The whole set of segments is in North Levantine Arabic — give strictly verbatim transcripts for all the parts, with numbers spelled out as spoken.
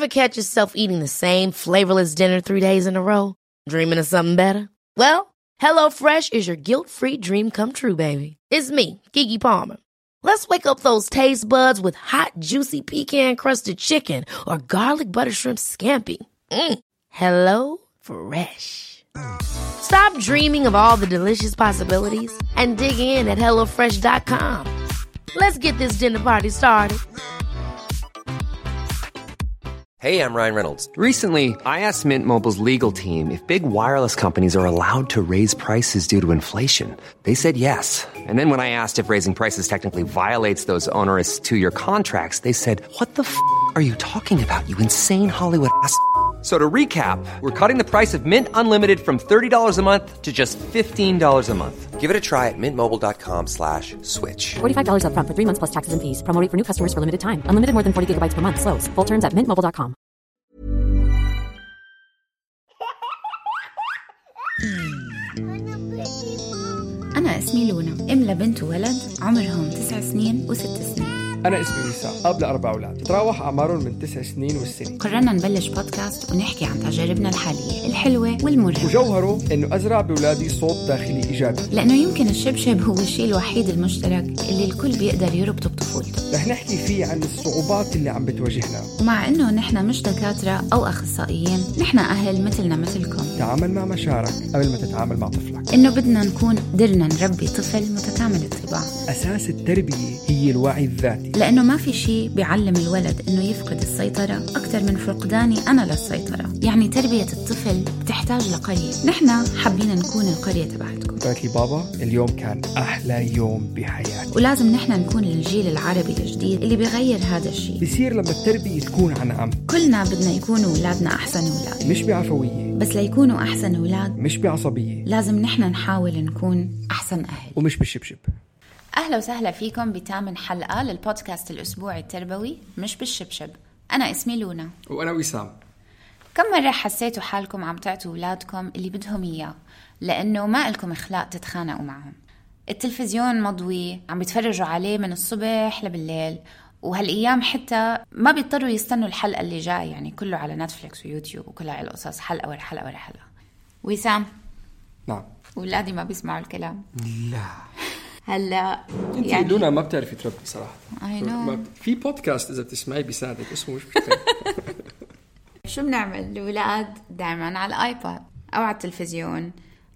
Ever catch yourself eating the same flavorless dinner three days in a row? Dreaming of something better? Well, HelloFresh is your guilt-free dream come true, baby. It's me, Keke Palmer. Let's wake up those taste buds with hot, juicy pecan-crusted chicken or garlic butter shrimp scampi. Mm. Hello Fresh. Stop dreaming of all the delicious possibilities and dig in at hello fresh dot com. Let's get this dinner party started. Hey, I'm Ryan Reynolds. Recently, I asked Mint Mobile's legal team if big wireless companies are allowed to raise prices due to inflation. They said yes. And then when I asked if raising prices technically violates those onerous two-year contracts, they said, what the f*** are you talking about, you insane Hollywood ass f- So to recap, we're cutting the price of Mint Unlimited from thirty dollars a month to just fifteen dollars a month. Give it a try at mintmobile.com slash switch. forty-five dollars up front for three months plus taxes and fees. Promo rate for new customers for limited time. Unlimited more than forty gigabytes per month. Slows full terms at mint mobile dot com. أنا اسمي لونا، أم لبنت وولد عمرهم تسع سنين وست سنين. أنا اسمي وسام، أب لأربع أولاد تتراوح أعمارهم من تسع سنين والسنة. قررنا نبلش بودكاست ونحكي عن تجاربنا الحالية الحلوة والمرة، وجوهره إنه أزرع بأولادي صوت داخلي إيجابي، لأنه يمكن الشبشب هو الشيء الوحيد المشترك اللي الكل بيقدر يربطه بطفولته. رح نحكي فيه عن الصعوبات اللي عم بتواجهنا، ومع إنه نحن مش دكاترة أو أخصائيين، نحن أهل مثلنا مثلكم. تعامل مع مشاعرك قبل ما تتعامل مع طفلك. إنه بدنا نكون قدرنا نربي طفل متكامل الطباع. أساس التربية هي الوعي الذاتي، لأنه ما في شيء بيعلم الولد إنه يفقد السيطرة أكثر من فقداني أنا للسيطرة. يعني تربية الطفل بتحتاج لقرية. نحن حابين نكون القرية تبعتكم. قالت لي بابا اليوم كان أحلى يوم بحياتي. ولازم نحن نكون الجيل العربي الجديد اللي بيغير هذا الشيء. بيصير لما التربية تكون عن عم. كلنا بدنا يكونوا أولادنا أحسن أولاد، مش بعفوية، بس ليكونوا أحسن أولاد مش بعصبية. لازم نحن نحاول نكون أحسن أهل ومش بالشبشب. أهلا وسهلا فيكم بتامن حلقة للبودكاست الأسبوعي التربوي مش بالشبشب. أنا اسمي لونا وأنا وسام. كم مرة حسيتوا حالكم عم تعطوا أولادكم اللي بدهم إياه لأنه ما لكم إخلاق تتخانقوا معهم؟ التلفزيون مضوي عم بيتفرجوا عليه من الصبح لبالليل، وهالأيام حتى ما بيضطروا يستنوا الحلقة اللي جاي، يعني كله على نتفليكس ويوتيوب وكلها القصص حلقة ورا حلقة ورا حلقة. وسام، نعم، أولادي ما بيسمعوا الكلام. لا هلا انت يعني لونا ما بتعرفي تربي صراحه. I know. في بودكاست اذا بتسمعي بيساعدك اسمه مش مشكله. شو بنعمل؟ الأولاد دائما على الآيباد أو على التلفزيون.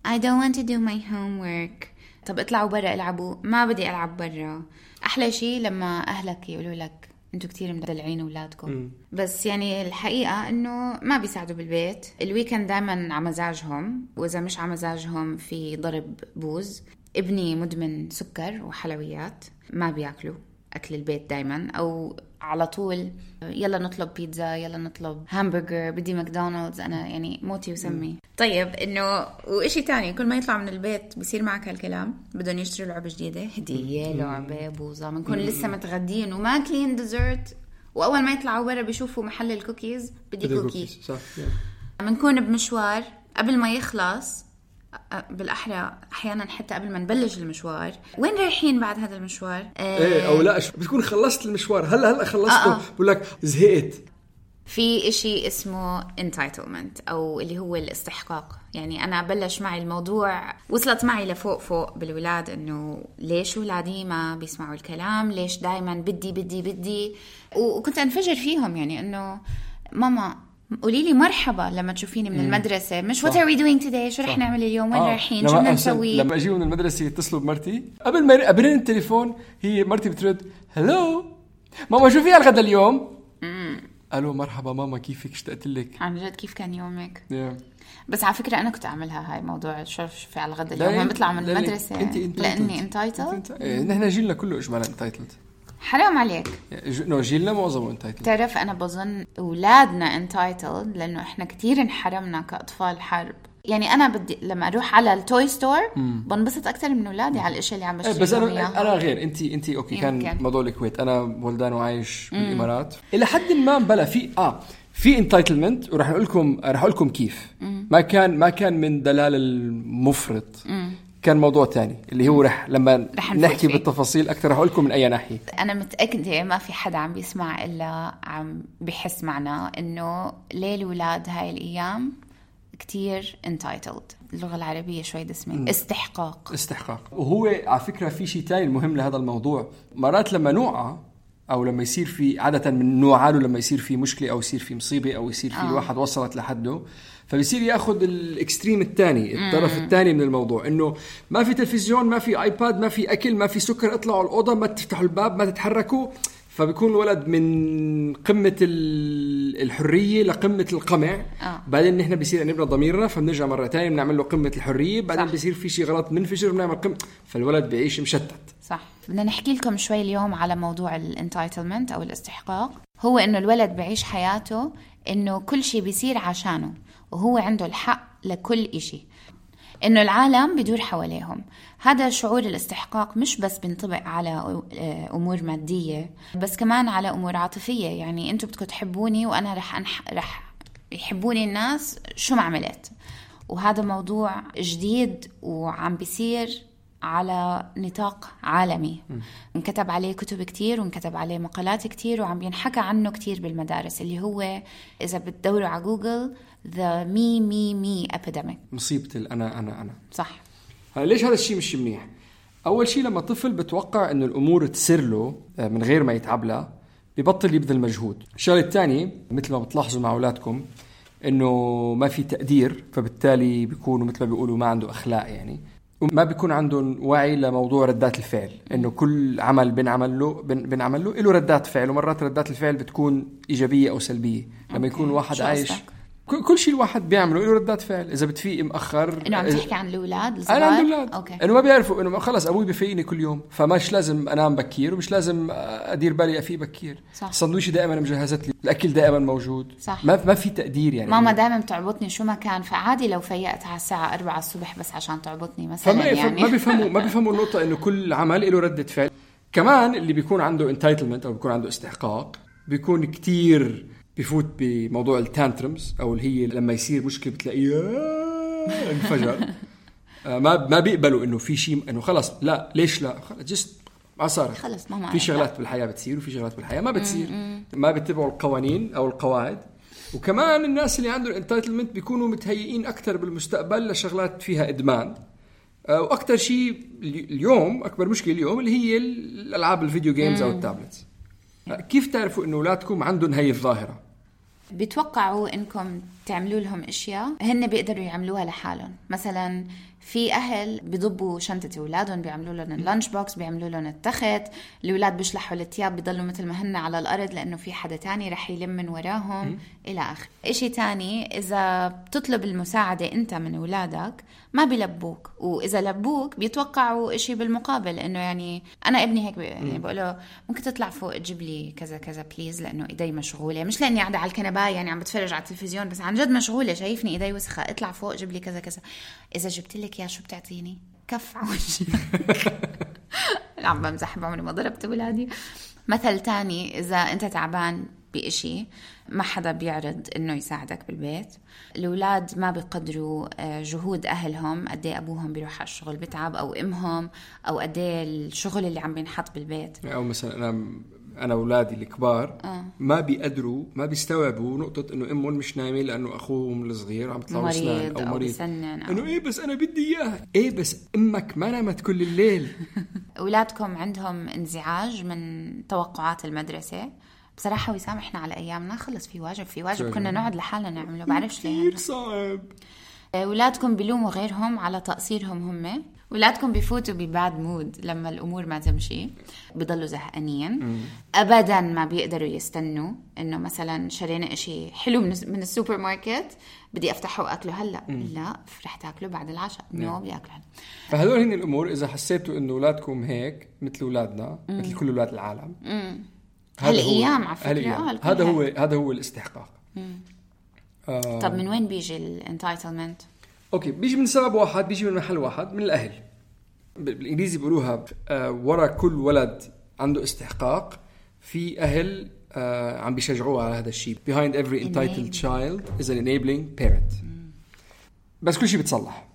I don't want to do my homework. طب اطلعوا برا العبوا. ما بدي ألعب برا. أحلى شيء لما أهلك يقولوا لك أنتوا كتير مدلعين أولادكم. م. بس يعني الحقيقة أنه ما بيساعدوا بالبيت. الويكند دائما على مزاجهم، وإذا مش على مزاجهم في ضرب بوز. ابني مدمن سكر وحلويات، ما بياكلوا أكل البيت دايما، أو على طول يلا نطلب بيتزا، يلا نطلب همبرجر، بدي ماكدونالدز. أنا يعني موتي وسمي. طيب إنه وإشي تاني، كل ما يطلع من البيت بيصير معك هالكلام، بدهم يشتروا لعبة جديدة، هدية، لعبة، بوظة، بنكون لسه متغدين وماكلين ديزرت، وأول ما يطلعوا برا بيشوفوا محل الكوكيز، بدي كوكي. بنكون بمشوار قبل ما يخلص، بالأحرى أحيانا حتى قبل ما نبلش المشوار، وين رايحين بعد هذا المشوار؟ ايه او لا بتكون خلصت المشوار، هلا هلا خلصته، آه. بقول لك زهقت. في إشي اسمه entitlement أو اللي هو الاستحقاق. يعني أنا بلش معي الموضوع، وصلت معي لفوق فوق بالولاد، إنه ليش ولادي ما بيسمعوا الكلام، ليش دايما بدي بدي بدي، وكنت أنفجر فيهم. يعني إنه ماما قولي لي مرحبا لما تشوفيني من المدرسة، مش what are we doing today، شو رح نعمل اليوم، وين آه. رايحين، شو بدنا نسوي. لما أجي من المدرسة يتصلوا بمرتي قبل ما قبلين التليفون، هي مرتي بترد هلو ماما شو في الغدا اليوم؟ ألو مرحبا ماما كيفك، اشتقت لك. عن جد كيف كان يومك؟ yeah. بس على فكرة أنا كنت أعملها هاي موضوع شو في على الغدا اليوم، ما بطلع من المدرسة لأني entitled. نحن جيلنا كله إجمالا entitled. حرام عليك. نو جيلنا معظمه entitled. تعرف أنا بظن أولادنا entitled لأنه إحنا كتير انحرمنا كأطفال حرب. يعني أنا بدي لما أروح على التوي ستور بنبسط أكتر من أولادي على الأشياء اللي عم بشتريها. بس أنا أنا غير أنتي أنتي أوكي يمكن. كان موضوع الكويت، أنا ولدان وعايش بالإمارات إلى حد ما بلا في آه في انتايتلمنت، وراح نقول لكم راح أقول لكم كيف. مم. ما كان ما كان من دلال المفرط. مم. كان موضوع تاني اللي هو رح لما رح نحكي فيه. بالتفاصيل أكتر رح أقول لكم من أي ناحية. أنا متأكدة ما في حدا عم بيسمع إلا عم بيحس معنا إنه ليه الولاد هاي الأيام كتير entitled. اللغة العربية شوي دسمة. استحقاق استحقاق. وهو على فكرة في شيء تاني المهم لهذا الموضوع. مرات لما نوعى أو لما يصير في عادة من نوعاله لما يصير في مشكلة أو يصير في مصيبة أو يصير في آه. الواحد وصلت لحده فبيصير ياخد الاكستريم الثاني الطرف الثاني من الموضوع انه ما في تلفزيون ما في ايباد ما في اكل ما في سكر اطلعوا الاوضه ما تفتحوا الباب ما تتحركوا. فبيكون الولد من قمه الحريه لقمه القمع آه. بعدين نحن بيصير نبنى ضميرنا فبنرجع مره ثانيه بنعمل له قمه الحريه بعدين صح. بيصير في شيء غلط منفجر بنعمل قمه فالولد بيعيش مشتت. صح. بدنا نحكي لكم شوي اليوم على موضوع الانتايتلمنت او الاستحقاق. هو انه الولد بيعيش حياته انه كل شيء بيصير عشانه وهو عنده الحق لكل إشي إنه العالم بدور حواليهم. هذا شعور الاستحقاق مش بس بينطبق على أمور مادية بس كمان على أمور عاطفية. يعني أنتوا بدكم تحبوني وأنا رح, أنح... رح يحبوني الناس شو ما عملت. وهذا موضوع جديد وعم بيصير على نطاق عالمي. انكتب عليه كتب كتير وانكتب عليه مقالات كتير وعم ينحكى عنه كتير بالمدارس اللي هو إذا بتدوروا على جوجل the me me me epidemic. مصيبة الأنا أنا أنا. صح. ليش هذا الشيء مش منيح؟ أول شيء لما طفل بتوقع إنه الأمور تسر له من غير ما يتعب لها بيبطل يبذل مجهود. الشغلة الثانية مثل ما بتلاحظوا مع أولادكم إنه ما في تقدير فبالتالي بيكونوا مثل ما بيقولوا ما عنده أخلاق يعني وما بيكون عندهم وعي لموضوع ردات الفعل إنه كل عمل بنعمل له بنعمل له له ردات فعل ومرات ردات الفعل بتكون إيجابية أو سلبية. لما يكون واحد عايش كل شيء الواحد بيعمله له ردات فعل. إذا بتفيق مأخر إنه عم تحكي عن الأولاد الصغار. أنا عندي أولاد إنه ما بيعرفوا إنه خلاص أبوي بفيقني كل يوم فماش لازم أنام بكير ومش لازم أدير بالي أفيق بكير. السندويشة دائما مجهزت لي الأكل دائما موجود. صح. ما ما في تقدير يعني. ماما دائما بتعبطني شو ما كان فعادي لو فيقت على الساعة أربعة الصبح بس عشان تعبطني مثلا يعني. ما بيفهموا ما بيفهموا النقطة إنه كل عمل له ردة فعل. كمان اللي بيكون عنده entitlement أو بيكون عنده استحقاق بيكون كتير بيفوت بموضوع التانترمز أو اللي هي لما يصير مشكلة بتلاقيه انفجر. ما ما بيقبلوا إنه في شيء إنه خلاص لا ليش لا خلاص جست ما صار خلاص ماما في شغلات بالحياة بتصير وفي شغلات بالحياة ما بتصير ما بيتبعوا القوانين أو القواعد. وكمان الناس اللي عندهم انتايتلمنت بيكونوا متهيئين أكتر بالمستقبل لشغلات فيها إدمان. وأكتر شيء اليوم أكبر مشكلة اليوم اللي هي الألعاب الفيديو جيمز أو التابلتس. كيف تعرفوا إنه أولادكم عندهم هاي الظاهرة؟ بيتوقعوا إنكم تعملوا لهم أشياء هن بيقدروا يعملوها لحالهم. مثلا في أهل بيضبوا شنطة أولادهم بيعملوا لهم اللانش بوكس بيعملوا لهم التخت. الأولاد بيشلحوا الثياب بيضلوا مثل ما هن على الأرض لأنه في حدا تاني رح يلم من وراهم إلى آخر. إشي تاني إذا بتطلب المساعدة أنت من أولادك ما بيلبوك وإذا لبوك بيتوقعوا إشي بالمقابل إنه يعني أنا ابني هيك يعني بقوله ممكن تطلع فوق تجيب لي كذا كذا بليز لأنه إيدي مشغولة مش لأني قاعدة على الكنبة يعني عم بتفرج على التلفزيون بس عن جد مشغولة شايفني إيدي وسخة اطلع فوق جيب لي كذا كذا. إذا جبت لك يا شو بتعطيني كف عوجي. عم بمزح بعمري ما ضربت ولادي. مثل تاني إذا أنت تعبان بإشي ما حدا بيعرض إنه يساعدك بالبيت. الأولاد ما بيقدروا جهود أهلهم قدي أبوهم بيروح على الشغل بتعب أو أمهم أو قدي الشغل اللي عم بينحط بالبيت. أو مثلا أنا أنا أولادي الكبار آه. ما بيقدروا ما بيستوعبوا نقطة إنه أمهم مش نايمة لأنه أخوهم الصغير عم يطلعوا سنان أو مريض أو إنه إيه بس أنا بدي إياه إيه بس أمك ما نامت كل الليل. أولادكم عندهم انزعاج من توقعات المدرسة بصراحة ويسامحنا على أيامنا خلص في واجب في واجب كنا نقعد لحالنا نعمله بعرفش ليه كتير صعب. أولادكم بيلوموا غيرهم على تقصيرهم هم. أولادكم بيفوتوا بباد مود لما الأمور ما تمشي بيضلوا زهقانين أبدا ما بيقدروا يستنوا إنه مثلا شرينا إشي حلو من السوبر ماركت بدي أفتحه وأكله هلأ لا رح تاكله بعد العشاء نو بيأكله. فهذول هن الأمور إذا حسيتوا إنه أولادكم هيك مثل أولادنا مثل كل أولاد العالم هالأيام على فكرة هذا هو هذا هو الاستحقاق. آه. طب من وين بيجي الانتايتلمنت؟ اوكي بيجي من سبب واحد بيجي من محل واحد من الاهل. بالانجليزي بيقولوها آه ورا كل ولد عنده استحقاق في اهل آه عم بيشجعوه على هذا الشيء. behind every entitled child is an enabling parent. بس كل شيء بتصلح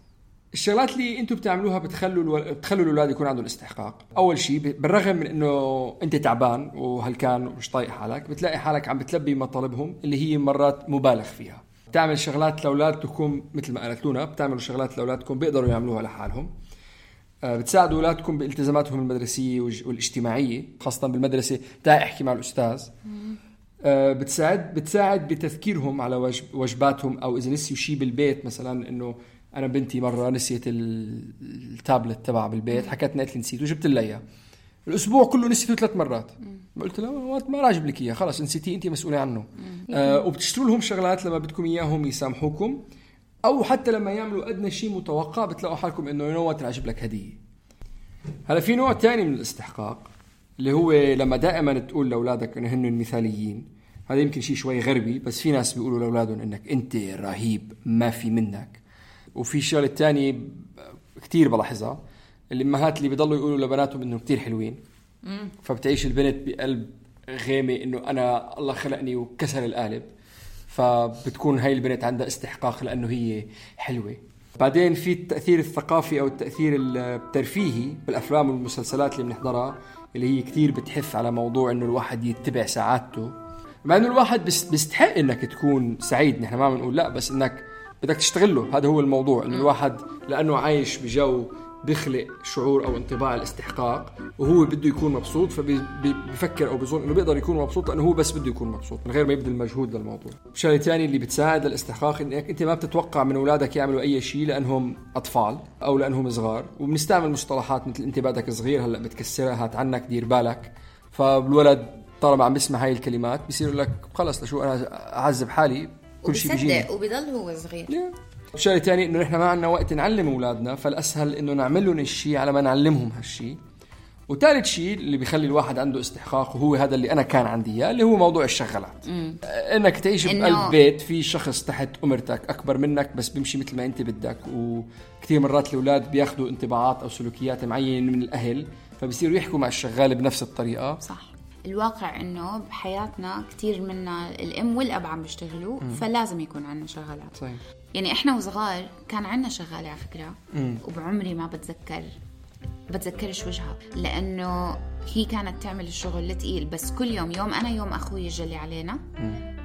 الشغلات اللي انتم بتعملوها بتخلوا الو... بتخلوا الاولاد يكون عندهم استحقاق. اول شيء بالرغم من انه انت تعبان وهلكان ومش طايق حالك، بتلاقي حالك عم بتلبي مطالبهم اللي هي مرات مبالغ فيها. بتعمل شغلات لاولادكم مثل ما قالت لونا، بتعملوا شغلات لاولادكم بيقدروا يعملوها لحالهم. بتساعدوا اولادكم بالتزاماتهم المدرسيه والاجتماعيه، خاصه بالمدرسه تعي احكي مع الاستاذ. بتساعد بتساعد بتذكيرهم على واجباتهم، او اذا نسيوا شيء بالبيت، مثلا انه انا بنتي مره نسيت التابلت تبعها بالبيت، حكتني قالت لي نسيت وجبت لها اياه، الاسبوع كله نسيته ثلاث مرات. قلت لها ما راجب لك اياه، خلاص نسيتيه انت مسؤوله عنه. آه وبتشتروا لهم شغلات لما بدكم اياهم يسامحوكم، او حتى لما يعملوا ادنى شيء متوقع بتلاقوا حالكم انه ينوت راجب لك هديه. هلا في نوع تاني من الاستحقاق اللي هو لما دائما تقول لاولادك انه هن المثاليين. هذا يمكن شيء شوي غربي، بس في ناس بيقولوا لاولادهم انك انت رهيب ما في منك. وفي شغله تانية كتير بلاحظها، الامهات اللي بيضلوا يقولوا لبناتهم انه كتير حلوين، فبتعيش البنت بقلب غامق انه انا الله خلقني وكسر القالب، فبتكون هاي البنت عندها استحقاق لانه هي حلوه. بعدين في التاثير الثقافي او التاثير الترفيهي بالافلام والمسلسلات اللي بنحضرها، اللي هي كتير بتحث على موضوع انه الواحد يتبع سعادته، مع انه الواحد بيستحق انك تكون سعيد، نحن ما بنقول لا، بس انك بدك تشتغله. هذا هو الموضوع، انه الواحد لانه عايش بجو بيخلق شعور او انطباع الاستحقاق وهو بده يكون مبسوط، فبيفكر او بيظن انه بيقدر يكون مبسوط لانه هو بس بده يكون مبسوط من غير ما يبذل مجهود للموضوع. الشيء الثاني اللي بتساعد الاستحقاق انك انت ما بتتوقع من اولادك يعملوا اي شيء لانهم اطفال او لانهم صغار، وبنستعمل مصطلحات مثل انت بعدك صغير هلا بتكسرها، هات عنك، دير بالك. فالولد طالما عم بيسمع هاي الكلمات بيصير لك خلص لشو انا اعذب حالي، كل شيء بيجيني، وبيضل هو صغير. الشيء الثاني انه نحن ما عندنا وقت نعلم اولادنا، فالاسهل انه نعمل لهم الشيء على ما نعلمهم هالشيء. وثالث شيء اللي بيخلي الواحد عنده استحقاق، وهو هذا اللي انا كان عندي اياه، اللي هو موضوع الشغلات. مم. انك تعيش بقلب بيت في شخص تحت امرتك اكبر منك بس بيمشي مثل ما انت بدك. وكثير مرات الاولاد بياخذوا انطباعات او سلوكيات معينه من الاهل، فبيصيروا يحكوا مع الشغال بنفس الطريقه. صح. الواقع انه بحياتنا كتير منا الام والاب عم بيشتغلوا، فلازم يكون عندنا شغالات. صحيح. يعني احنا وصغار كان عندنا شغاله على فكره، مم. وبعمري ما بتذكر بتذكرش وجهها، لانه هي كانت تعمل الشغل الثقيل، بس كل يوم يوم انا يوم اخوي يجلي علينا،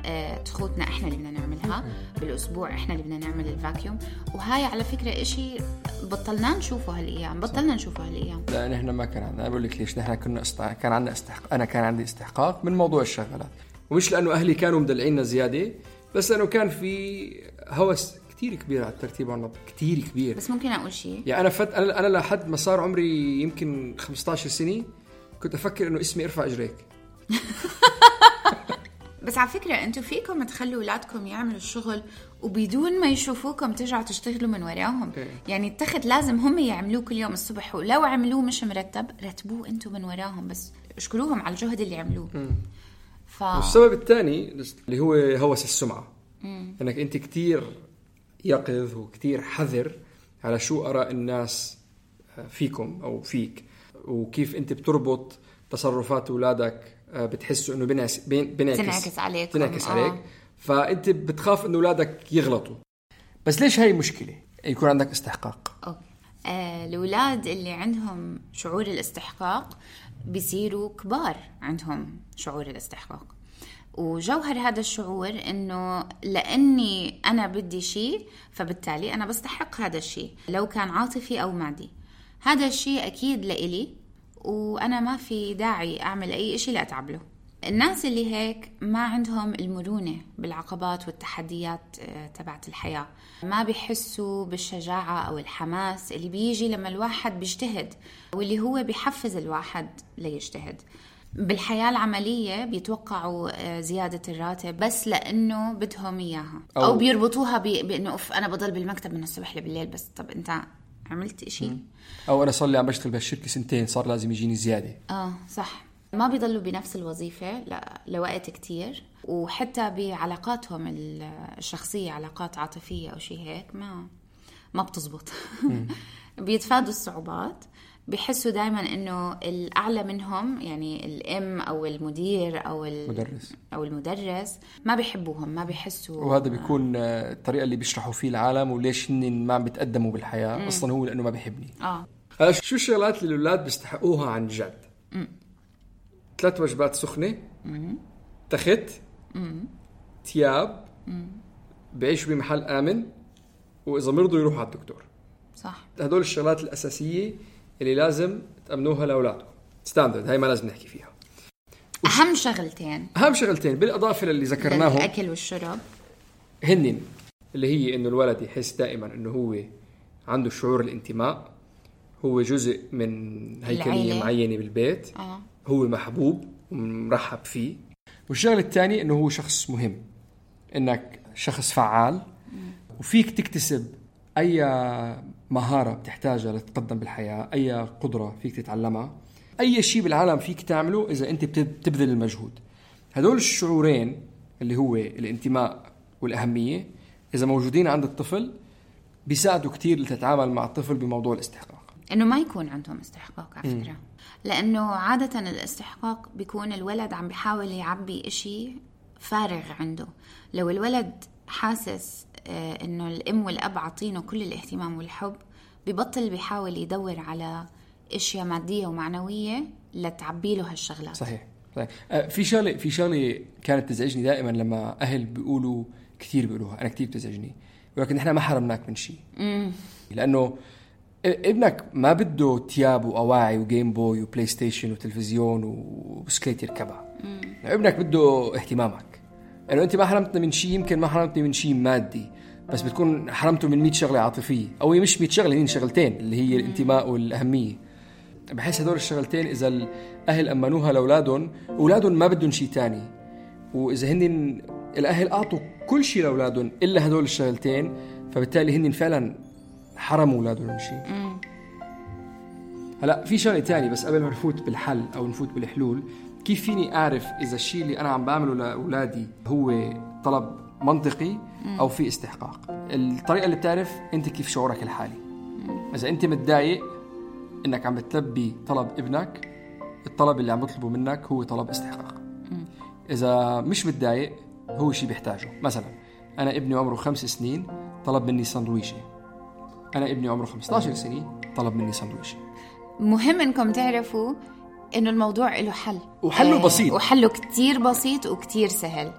آه، تخوتنا احنا اللي بدنا نعملها. مم. بالاسبوع احنا اللي بدنا نعمل الفاكيوم. وهاي على فكره اشي بطلنا نشوفه هالايام، بطلنا نشوفه هالايام. لا نحن ما كان عندنا، بقول لك ليش، نحن كنا استحق... كان عندنا استحق... انا كان عندي استحقاق من موضوع الشغلات، ومش لانه اهلي كانوا مدلعيننا زياده، بس لانه كان في هوس كتير كبير على الترتيب والنظم، كتير كبير. بس ممكن اقول شيء، يعني انا فت... انا انا لحد ما صار عمري يمكن خمسة عشر سنه كنت افكر انه اسمي ارفع اجريك. بس على فكرة أنتوا فيكم تخلوا أولادكم يعملوا الشغل وبدون ما يشوفوكم ترجعوا تشتغلوا من وراهم. okay. يعني التخت لازم هم يعملوه كل يوم الصبح، ولو عملوه مش مرتب رتبوه أنتوا من وراهم، بس اشكروهم على الجهد اللي عملوه. ف... والسبب الثاني اللي هو هوس السمعة. مم. أنك أنت كتير يقظ وكتير حذر على شو آراء الناس فيكم أو فيك، وكيف أنت بتربط تصرفات أولادك بتحسوا انه بنعكس بنعكس عليك بنعكس عليك، فانت بتخاف انه اولادك يغلطوا. بس ليش هاي مشكله يكون عندك استحقاق؟ اوكي آه، الاولاد اللي عندهم شعور الاستحقاق بيصيروا كبار عندهم شعور الاستحقاق، وجوهر هذا الشعور انه لاني انا بدي شيء فبالتالي انا بستحق هذا الشيء، لو كان عاطفي او مادي. هذا الشيء اكيد لإلي وأنا ما في داعي أعمل أي إشي لأتعب له. الناس اللي هيك ما عندهم المرونة بالعقبات والتحديات تبعت الحياة، ما بيحسوا بالشجاعة أو الحماس اللي بيجي لما الواحد بيجتهد، واللي هو بيحفز الواحد ليجتهد. بالحياة العملية بيتوقعوا زيادة الراتب بس لأنه بدهم إياها، أو, أو بيربطوها بأنه أوف أنا بضل بالمكتب من الصبح لبالليل. بس طب أنت عملت إشي؟ أو أنا صار لي عم بشتغل بهالشركة سنتين، صار لازم يجيني زيادة. آه صح. ما بيضلوا بنفس الوظيفة لوقت كتير، وحتى بعلاقاتهم الشخصية، علاقات عاطفية أو شيء هيك، ما ما بتزبط. بيتفادوا الصعوبات بيحسوا دايما انه الاعلى منهم يعني الام او المدير او المدرس او المدرس ما بيحبوهم، ما بيحسوا. وهذا بيكون الطريقه اللي بيشرحوا فيه العالم وليش هن ما عم بيتقدموا بالحياه. مم. اصلا هو لانه ما بيحبني. اه هلا شو الشغلات اللي الاولاد بيستحقوها عن جد؟ مم. ثلاث وجبات سخنه، مم. تخت، مم. تياب، مم. بعيشوا بمحل امن، واذا مرضوا يروحوا على الدكتور. صح. هدول الشغلات الاساسيه اللي لازم تأمنوها لأولادكم. ستاندرد، هاي ما لازم نحكي فيها. أهم شغلتين أهم شغلتين بالإضافة للي ذكرناهم، الأكل والشرب، هنن اللي هي إنه الولد يحس دائما إنه هو عنده شعور الانتماء، هو جزء من هيكلية معينة بالبيت. آه. هو محبوب ومرحب فيه. والشغل الثاني إنه هو شخص مهم، إنك شخص فعال. م. وفيك تكتسب أي مهارة بتحتاجها لتتقدم بالحياة، أي قدرة فيك تتعلمها، أي شيء بالعالم فيك تعمله إذا أنت بتبذل المجهود. هدول الشعورين اللي هو الانتماء والأهمية إذا موجودين عند الطفل بيساعدوا كتير لتتعامل مع الطفل بموضوع الاستحقاق. إنه ما يكون عندهم استحقاق على فكرة. م. لأنه عادة الاستحقاق بيكون الولد عم بيحاول يعبي إشي فارغ عنده. لو الولد حاسس إنه الأم والأب عطينه كل الاهتمام والحب، ببطل بيحاول يدور على اشياء ماديه ومعنويه لتعبي له هالشغلات. صحيح صحيح. آه في شغله في شغله كانت تزعجني دائما لما اهل بيقولوا كثير بيقولوها، انا كثير بتزعجني، ولكن احنا ما حرمناك من شيء. لانه ابنك ما بده تياب واواعي وجيم بوي وبلاي ستيشن وتلفزيون وبسكليت يركبها. ابنك بده اهتمامك. انه يعني انت ما حرمتنا من شيء، يمكن ما حرمتني من شيء مادي، بس بتكون حرمته من مئة شغله عاطفيه، او مش مئة شغله، هين شغلتين اللي هي الانتماء والاهميه. بحس هدول الشغلتين اذا الاهل امنوها لاولادهم، اولادهم ما بدهم شيء تاني. واذا هن الاهل اعطوا كل شيء لاولادهم الا هدول الشغلتين، فبالتالي هن فعلا حرموا اولادهم من شيء. هلا في شغله تاني بس قبل ما نفوت بالحل او نفوت بالحلول، كيف فيني اعرف اذا الشيء اللي انا عم بعمله لاولادي هو طلب منطقي أو في استحقاق؟ الطريقة اللي بتعرف أنت كيف شعورك الحالي. إذا أنت متضايق إنك عم بتلبي طلب ابنك، الطلب اللي عم بطلبه منك هو طلب استحقاق. إذا مش متضايق هو شيء بيحتاجه. مثلا أنا ابني عمره خمس سنين طلب مني سندويشة، أنا ابني عمره خمسة عشر سنة طلب مني سندويشة. مهم إنكم تعرفوا إنه الموضوع له حل، وحله بسيط، وحله كتير بسيط وكتير سهل.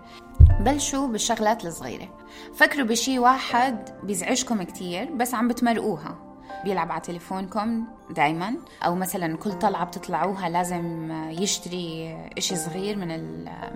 بلشوا بالشغلات الصغيرة. فكروا بشي واحد بيزعجكم كتير بس عم بتمرقوها، بيلعب على تليفونكم دايما، أو مثلا كل طلعة بتطلعوها لازم يشتري إشي صغير من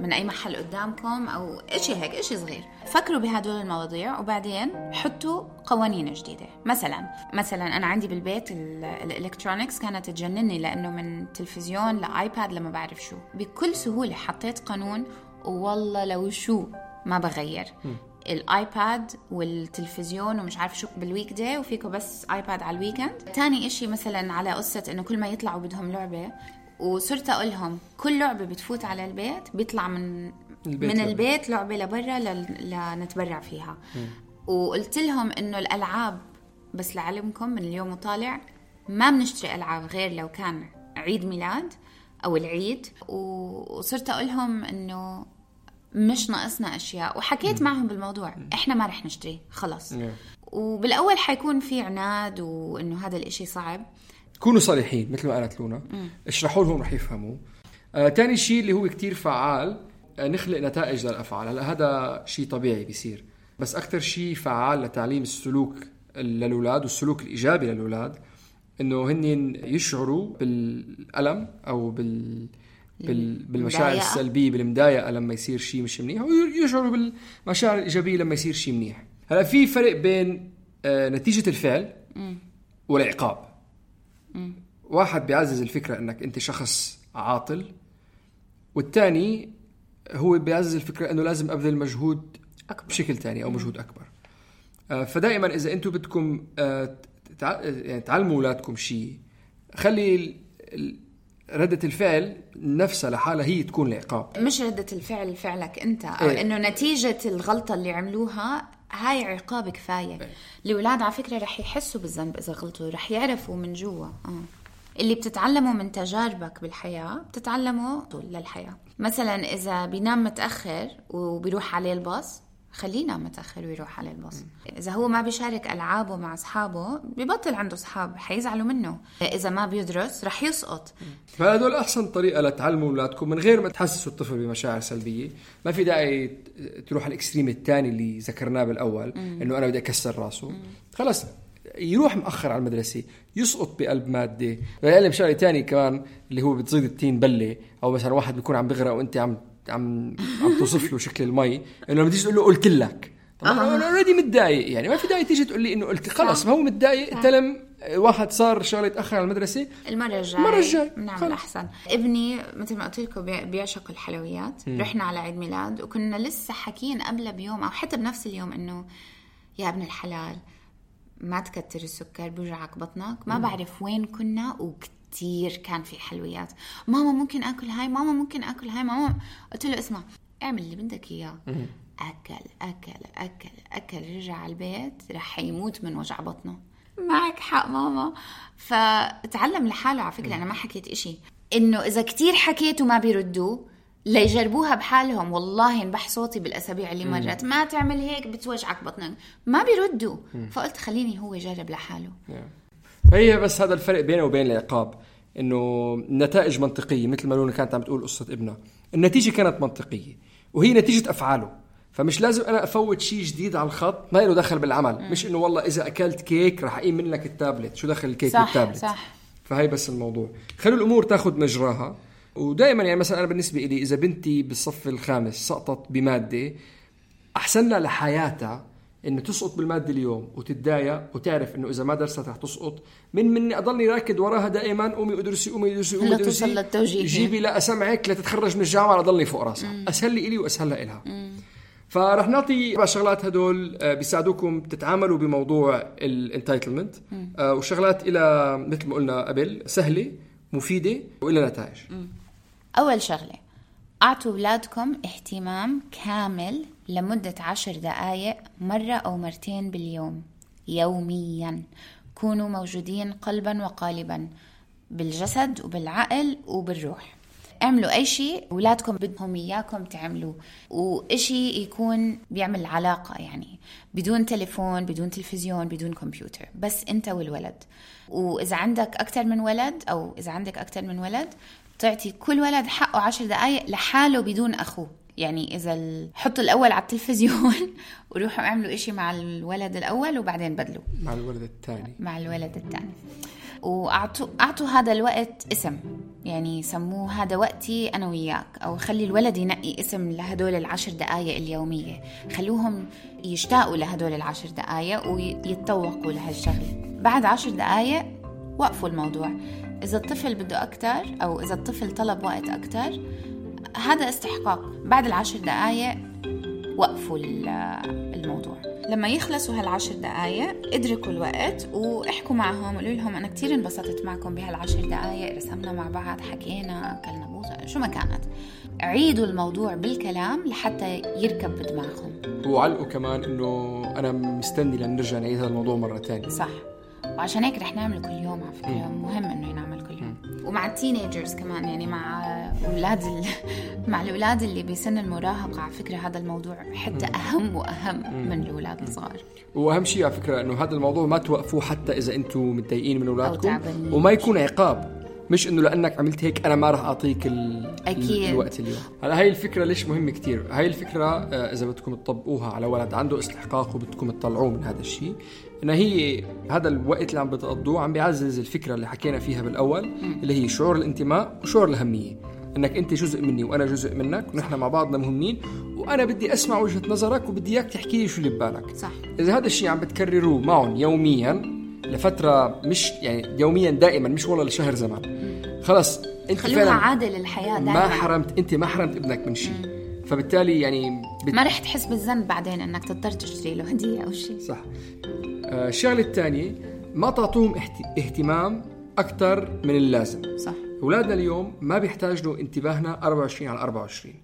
من أي محل قدامكم أو إشي هيك إشي صغير. فكروا بهدول المواضيع وبعدين حطوا قوانين جديدة. مثلا مثلا أنا عندي بالبيت الإلكترونيكس كانت تجنني، لأنه من تلفزيون لآيباد لما بعرف شو، بكل سهولة حطيت قانون، والله لو شو ما بغير م. الايباد والتلفزيون ومش عارف شو بالويك داي، وفيكو بس ايباد على الويكند. تاني اشي مثلا على قصة انه كل ما يطلعوا بدهم لعبة، وصرت اقول لهم كل لعبة بتفوت على البيت بيطلع من البيت من البيت لعبة لبرا لنتبرع فيها. م. وقلت لهم انه الالعاب بس لعلمكم من اليوم وطالع ما بنشتري العاب غير لو كان عيد ميلاد او العيد. وصرت اقولهم انه مش ناقصنا اشياء، وحكيت م. معهم بالموضوع، احنا ما رح نشتري خلص. م. وبالاول حيكون في عناد وانه هذا الاشي صعب. كونوا صريحين مثل ما قالت لونا، اشرحوا لهم رح يفهموا. آه، تاني شيء اللي هو كتير فعال، آه، نخلق نتائج للافعال. هلا هذا شيء طبيعي بيصير، بس اكثر شيء فعال لتعليم السلوك للاولاد والسلوك الايجابي للاولاد انه هن يشعروا بالالم او بال بالمشاعر السلبيه، بالمضايقه لما يصير شيء مش منيح، ويشعروا بالمشاعر الايجابيه لما يصير شيء منيح. هلا في فرق بين آه نتيجه الفعل م. والعقاب. م. واحد بيعزز الفكره انك انت شخص عاطل، والثاني هو بيعزز الفكره انه لازم ابذل مجهود أكبر بشكل تاني او مجهود اكبر. آه فدائما اذا انتم بدكم آه يعني تعلموا اولادكم شيء، خلي ردة الفعل نفسها لحالها هي تكون العقاب، مش ردة الفعل فعلك انت، او إيه؟ انه نتيجة الغلطة اللي عملوها هاي عقاب كفاية. إيه؟ الأولاد على فكرة رح يحسوا بالذنب اذا غلطوا، رح يعرفوا من جوا اه اللي بتتعلمه من تجاربك بالحياة بتتعلمه للحياة. مثلا إذا بينام متأخر وبيروح عليه الباص، خلينا متأخر ويروح على الباص. إذا هو ما بيشارك ألعابه مع أصحابه بيبطل عنده أصحاب، حيزعلوا منه. إذا ما بيدرس رح يسقط. فهذول أحسن طريقة لتعلموا أولادكم من غير ما تحسسوا الطفل بمشاعر سلبية. ما في داعي تروح على الإكستريم الثاني اللي ذكرناه بالأول، إنه أنا بدي أكسر راسه. خلاص يروح مأخر على المدرسة، يسقط بقلب مادة. ويعلم شغلة تاني كمان اللي هو بتزيد التين بلة، أو مثلا واحد بيكون عم بغرق وأنت عم عم عم توصف له شكل المي، انه لما تيجي تقول له قلت لك، طبعا انا اوريدي متضايق، يعني ما في داعي تيجي تقول لي انه قلت. خلص ما هو متضايق، تلم واحد صار شغله يتاخر على المدرسه، المره الجايه المره الجايه بنعمل احسن. ابني مثل ما قلت لكم بيعشق الحلويات. م. رحنا على عيد ميلاد وكنا لسه حكين قبل بيوم او حتى بنفس اليوم انه يا ابن الحلال ما تكتر السكر بيوجعك بطنك. ما م. بعرف وين كنا وكتير كتير كان في حلويات. ماما ممكن أكل هاي، ماما ممكن أكل هاي، ماما. قلت له اسمع اعمل اللي بدك إياه. أكل أكل أكل أكل رجع على البيت رح يموت من وجع بطنه. معك حق ماما. فتعلم لحاله على فكرة. أنا ما حكيت إشي إنه إذا كتير حكيت وما بيردوا لا يجربوها بحالهم. والله انبح صوتي بالأسابيع اللي مرت ما تعمل هيك بتوجعك بطنك، ما بيردوا. فقلت خليني هو يجرب لحاله. هي بس هذا الفرق بينه وبين العقاب، انه النتائج منطقيه. مثل ما لونا كانت عم تقول قصه ابنها، النتيجه كانت منطقيه وهي نتيجه افعاله. فمش لازم انا افوت شيء جديد على الخط ما له دخل بالعمل. م. مش انه والله اذا اكلت كيك راح اقيم منك التابلت، شو دخل الكيك صح بالتابلت؟ صح. فهي بس الموضوع، خلوا الامور تاخذ مجراها. ودائما يعني مثلا انا بالنسبه لي اذا بنتي بالصف الخامس سقطت بماده، احسن لها لحياتها إنه تسقط بالمادة اليوم وتتضايق وتعرف إنه إذا ما درست رح تسقط، من مني أضلني راكد وراها دائما. قومي أدرسي قومي أدرسي قومي أدرسي، جيبي لا أسمعك لا تتخرج من الجامعة أضلني فوق راسها. أسهل لي إلي وأسهل لها إلها. فرح نعطي أربع شغلات هدول بيساعدوكم تتعاملوا بموضوع الانتايتلمنت، وشغلات إلى مثل ما قلنا قبل سهلة مفيدة وإلى نتائج. أول شغلة، أعطوا أولادكم اهتمام كامل لمدة عشر دقائق مرة أو مرتين باليوم يوميا. كونوا موجودين قلبا وقالبا بالجسد وبالعقل وبالروح. اعملوا أي شيء أولادكم بدهم إياكم تعملوه، وإشي يكون بيعمل علاقة، يعني بدون تليفون بدون تلفزيون بدون كمبيوتر، بس أنت والولد. وإذا عندك أكتر من ولد أو إذا عندك أكتر من ولد تعطي كل ولد حقه عشر دقائق لحاله بدون أخوه. يعني إذا ال... حطوا الأول على التلفزيون وروحوا اعملوا إشي مع الولد الأول وبعدين بدلوا مع الولد الثاني مع الولد الثاني. وأعطوا أعطوا هذا الوقت اسم، يعني سموه هذا وقتي أنا وياك، أو خلي الولد ينقي اسم لهدول العشر دقائق اليومية. خلوهم يشتاقوا لهدول العشر دقائق ويتطوقوا لهالشغلة. بعد عشر دقائق وقفوا الموضوع. إذا الطفل بده أكتر أو إذا الطفل طلب وقت أكتر هذا استحقاق. بعد العشر دقائق وقفوا الموضوع. لما يخلصوا هالعشر دقائق ادركوا الوقت واحكوا معهم، قولوا لهم أنا كتير انبسطت معكم بهالعشر دقائق، رسمنا مع بعض، حكينا، أكلنا بوزة، شو ما كانت. عيدوا الموضوع بالكلام لحتى يركب بدماغهم. وعلقوا كمان إنه أنا مستني لنرجع نعيد هذا الموضوع مرة تانية. صح. وعشان هيك رح نعمل كل يوم على فكرة. مهم إنه ينعمل كل يوم. ومع التينيجرز كمان، يعني مع أولاد ال... مع الأولاد اللي بسن المراهقة على فكرة هذا الموضوع حتى أهم وأهم من الأولاد الصغار. وأهم شيء على فكرة إنه هذا الموضوع ما توقفوه حتى إذا أنتم متضايقين من أولادكم، وما يكون عقاب. مش إنه لأنك عملت هيك أنا ما رح أعطيك ال... الوقت اليوم. هلا هاي الفكرة ليش مهمة كتير. هاي الفكرة إذا بدكم تطبقوها على ولد عنده استحقاق وبدكم تطلعوه من هذا الشيء، إن هي هذا الوقت اللي عم بتقضوه عم بيعزز الفكرة اللي حكينا فيها بالأول، م. اللي هي شعور الانتماء وشعور الأهمية، إنك أنت جزء مني وأنا جزء منك ونحن مع بعضنا مهمين، وأنا بدي أسمع وجهة نظرك وبدي إياك تحكي لي شو اللي ببالك. صح. إذا هذا الشيء عم بتكرروه معهم يوميا لفترة، مش يعني يوميا دائما، مش والله لشهر زمان، خلاص أنت خلوها عادة للحياة دائما. ما حرمت أنت ما حرمت ابنك من شيء، فبالتالي يعني بت... ما رح تحس بالذنب بعدين أنك تضطر تشتري له هدية أو شيء. صح. آه الشغلة الثانية، ما تعطوهم اهتمام أكتر من اللازم. صح. أولادنا اليوم ما بيحتاج له انتباهنا أربعة وعشرين على أربعة وعشرين.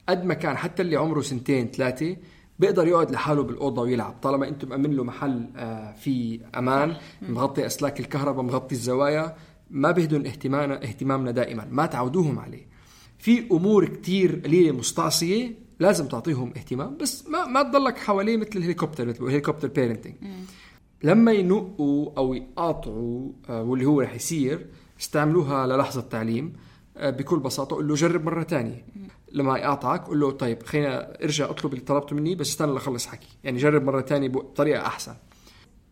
قد ما كان حتى اللي عمره سنتين ثلاثة بيقدر يقعد لحاله بالأوضة ويلعب، طالما أنتم مأمن له محل آه فيه أمان، مغطي أسلاك الكهرباء، مغطي الزوايا، ما بيهدون اهتمامنا اهتمامنا دائما، ما تعودوهم عليه. في أمور كتير قليلة مستعصية لازم تعطيهم اهتمام، بس ما ما تضلك حواليه مثل الهليكوبتر، مثل الهليكوبتر بيرنتينج. لما ينقوا أو يقاطعوا واللي هو رح يصير، استعملوها للحظة تعليم بكل بساطة. قل له جرب مرة تانية. لما يقاطعك قل له طيب خلينا ارجع اطلب اللي طلبته مني، بس استنى لخلص حكي، يعني جرب مرة تانية بطريقة أحسن.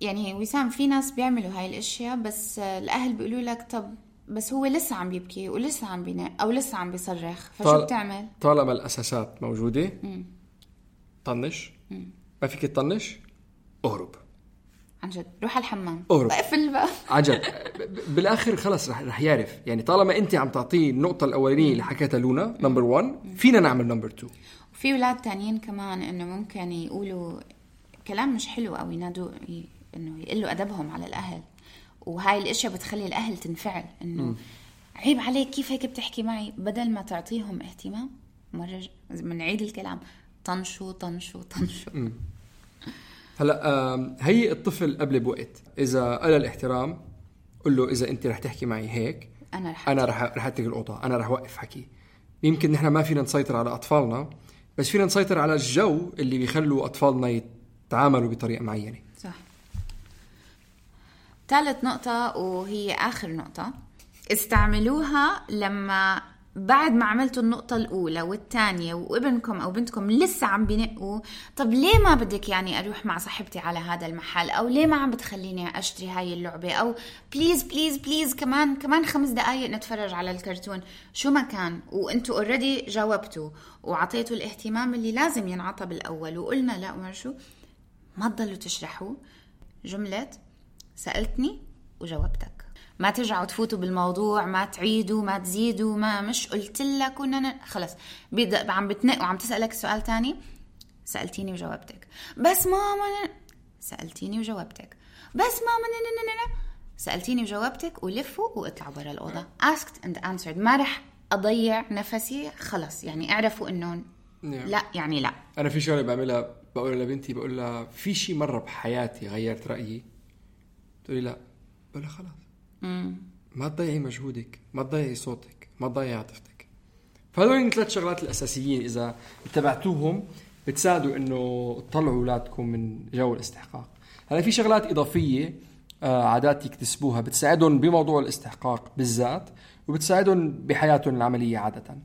يعني وسام في ناس بيعملوا هاي الاشياء، بس الأهل بيقولوا لك طب بس هو لسه عم بيبكي ولسه عم بينام أو لسه عم بيصرخ، فشو طال... بتعمل؟ طالما الأساسات موجودة مم. طنش مم. ما فيك تطنش، اهرب عن جد، روح على الحمام، اهرب اقفل بقى عن جد. بالاخر خلص رح رح يعرف. يعني طالما انت عم تعطيه النقطه الاولانيه اللي حكيتها لونا نمبر واحد، فينا نعمل نمبر اثنين. وفي اولاد تانيين كمان انه ممكن يقولوا كلام مش حلو او ينادوا ي... انه يقلوا ادبهم على الاهل، وهاي الاشياء بتخلي الاهل تنفعل انه م. عيب عليك كيف هيك بتحكي معي. بدل ما تعطيهم اهتمام، مره بنعيد الكلام، طنشوا طنشوا طنشوا. م. هلا هي الطفل قبل بوقت اذا قال الاحترام، قل له اذا انت رح تحكي معي هيك انا رح انا رح رح اترك الاوضه، انا رح اوقف حكي. يمكن نحن ما فينا نسيطر على اطفالنا، بس فينا نسيطر على الجو اللي بيخلوا اطفالنا يتعاملوا بطريقه معينه. صح. ثالث نقطه وهي اخر نقطه، استعملوها لما بعد ما عملتوا النقطة الأولى والثانية وابنكم أو بنتكم لسه عم بينقوا، طب ليه ما بدك يعني أروح مع صاحبتي على هذا المحل، أو ليه ما عم بتخليني أشتري هاي اللعبة، أو بليز بليز بليز كمان كمان خمس دقايق نتفرج على الكرتون، شو ما كان. وانتوا اوريدي جاوبتوا وعطيتوا الاهتمام اللي لازم ينعطى بالأول، وقلنا لا وما شو، ما تضلوا تشرحوا جملة سألتني وجاوبتك. ما ترجعوا تفوتوا بالموضوع، ما تعيدوا ما تزيدوا، ما مش قلت لك ونن... خلص بيبدأ عم بتنق وعم تسألك سؤال تاني. سألتيني وجاوبتك، بس ماما ن... سألتيني وجاوبتك، بس ماما ن... ن... ن... سألتيني وجاوبتك، ولفوا واطلعوا برا الأوضة. asked and answered. ما رح أضيع نفسي، خلص يعني اعرفوا إنه لا يعني لا. أنا في شغلة بعملها، بقول لبنتي بقول لها في شيء مرة بحياتي غيرت رأيي؟ تقولي لا. بقول لها خلاص مم. ما تضيعي مجهودك، ما تضيعي صوتك، ما تضيعي عاطفتك. فهذول الثلاث شغلات الأساسيين إذا اتبعتوهم بتساعدوا إنه تطلعوا أولادكم من جو الاستحقاق. هلا في شغلات إضافية آه عادات يكتسبوها بتساعدهم بموضوع الاستحقاق بالذات، وبتساعدهم بحياتهم العملية عادة.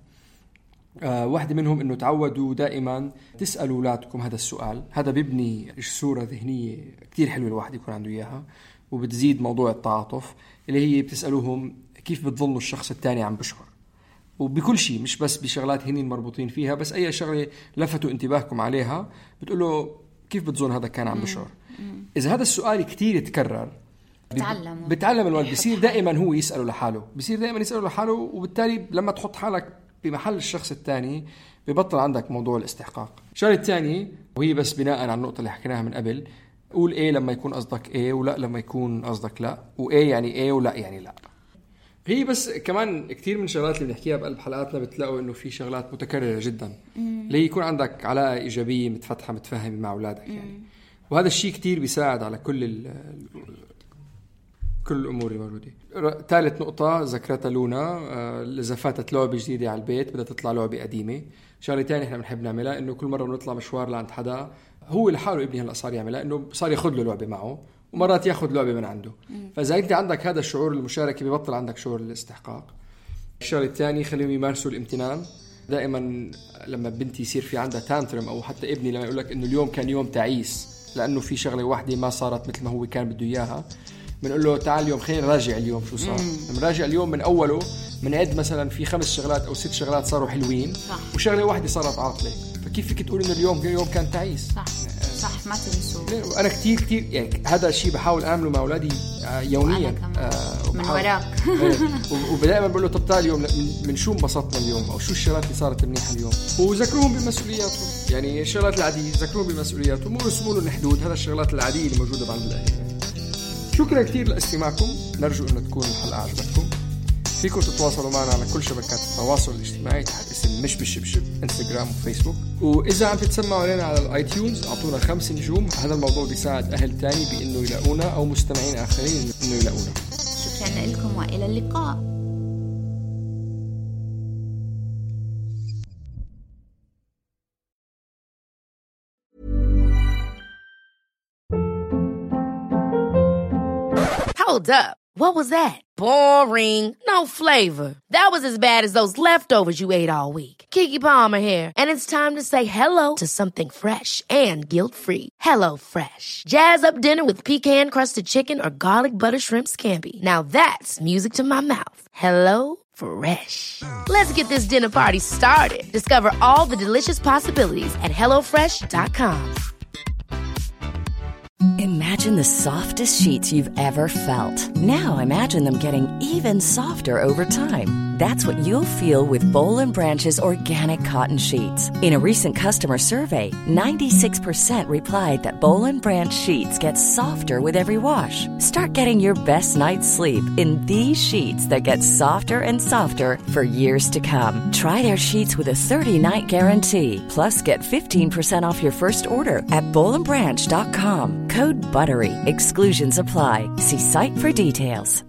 آه واحدة منهم إنه تعودوا دائما تسألوا أولادكم هذا السؤال. هذا بيبني صورة ذهنية كتير حلوة الواحد يكون عنده إياها، وبتزيد موضوع التعاطف اللي هي بتسألوهم كيف بتظنوا الشخص الثاني عم بشعر، وبكل شيء مش بس بشغلات هنين مربوطين فيها، بس أي شغلة لفتوا انتباهكم عليها بتقولوا كيف بتظن هذا كان عم بشعر. إذا هذا السؤال كتير يتكرر بتعلم بتعلم الولد، بصير دائما هو يسأله لحاله، بصير دائما يسأله لحاله، وبالتالي لما تحط حالك بمحل الشخص الثاني ببطل عندك موضوع الاستحقاق. الشغلة الثانية وهي بس بناء على النقطة اللي حكيناها من قبل، قول ايه لما يكون قصدك ايه، ولا لما يكون قصدك لا، وايه يعني ايه ولا يعني لا. هي بس كمان كتير من شغلات اللي بنحكيها بقلب حلقاتنا بتلاقوا انه في شغلات متكررة جدا اللي يكون عندك علاقة ايجابية متفتحة متفاهمة مع اولادك يعني. وهذا الشيء كتير بيساعد على كل ال كل الامور الموجودة. ثالث نقطة ذكرتها لونا، اذا فاتت لعبة جديدة على البيت بدها تطلع لعبة قديمة. شغلة تانية احنا بنحب نعملها انه كل مرة بنطلع مشوار لعند حدا هو لحاله ابني هلا صار يعملها، انه صار ياخذ له لعبه معه ومرات ياخذ لعبه من عنده. فاذا انت عندك هذا الشعور المشاركه ببطل عندك شعور الاستحقاق. الشغله الثانيه خليهم يمارسوا الامتنان. دائما لما بنتي يصير في عندها تانترم او حتى ابني لما يقول لك انه اليوم كان يوم تعيس لانه في شغله واحده ما صارت مثل ما هو كان بده اياها، بنقول له تعال اليوم خلينا نراجع اليوم شو صار. نراجع اليوم من اوله، بنعد مثلا في خمس شغلات او ست شغلات صاروا حلوين صح. وشغله واحده صارت عاطله، فكيف فيك تقول انه اليوم اليوم كان تعيس؟ صح صح، ما تنسوا. انا كتير كتير يعني هذا الشيء بحاول اعمله مع اولادي يوميا آه من وراك ودائما بقول له طب تعال اليوم من شو انبسطنا اليوم او شو الشغلات اللي صارت منيحه اليوم، وذكروهم بمسؤولياتهم. يعني الشغلات العاديه ذكروهم بمسؤولياتهم ورسموا لهم حدود. هذا الشغلات العاديه اللي موجوده عند الاهل. شكرا كتير لاستماعكم، نرجو انه تكون الحلقه عجبتكم. فيكم تتواصلوا معنا على كل شبكات التواصل الاجتماعي تحت اسم مش بالشبشب، انستغرام وفيسبوك. واذا عم تتسمعوا علينا على الايتيونز اعطونا خمس نجوم، هذا الموضوع بيساعد اهل تاني بانه يلاقونا او مستمعين اخرين انه يلاقونا. شكرا بشأن لكم وإلى اللقاء. Hold up. What was that? Boring. No flavor. That was as bad as those leftovers you ate all week. Keke Palmer here, and it's time to say hello to something fresh and guilt-free. Hello Fresh. Jazz up dinner with pecan-crusted chicken or garlic butter shrimp scampi. Now that's music to my mouth. Hello Fresh. Let's get this dinner party started. Discover all the delicious possibilities at hello fresh dot com. Imagine the softest sheets you've ever felt. Now imagine them getting even softer over time. That's what you'll feel with Boll and Branch's organic cotton sheets. In a recent customer survey, ninety-six percent replied that Boll and Branch sheets get softer with every wash. Start getting your best night's sleep in these sheets that get softer and softer for years to come. Try their sheets with a thirty-night guarantee. Plus, get fifteen percent off your first order at boll and branch dot com. Code BUTTERY. Exclusions apply. See site for details.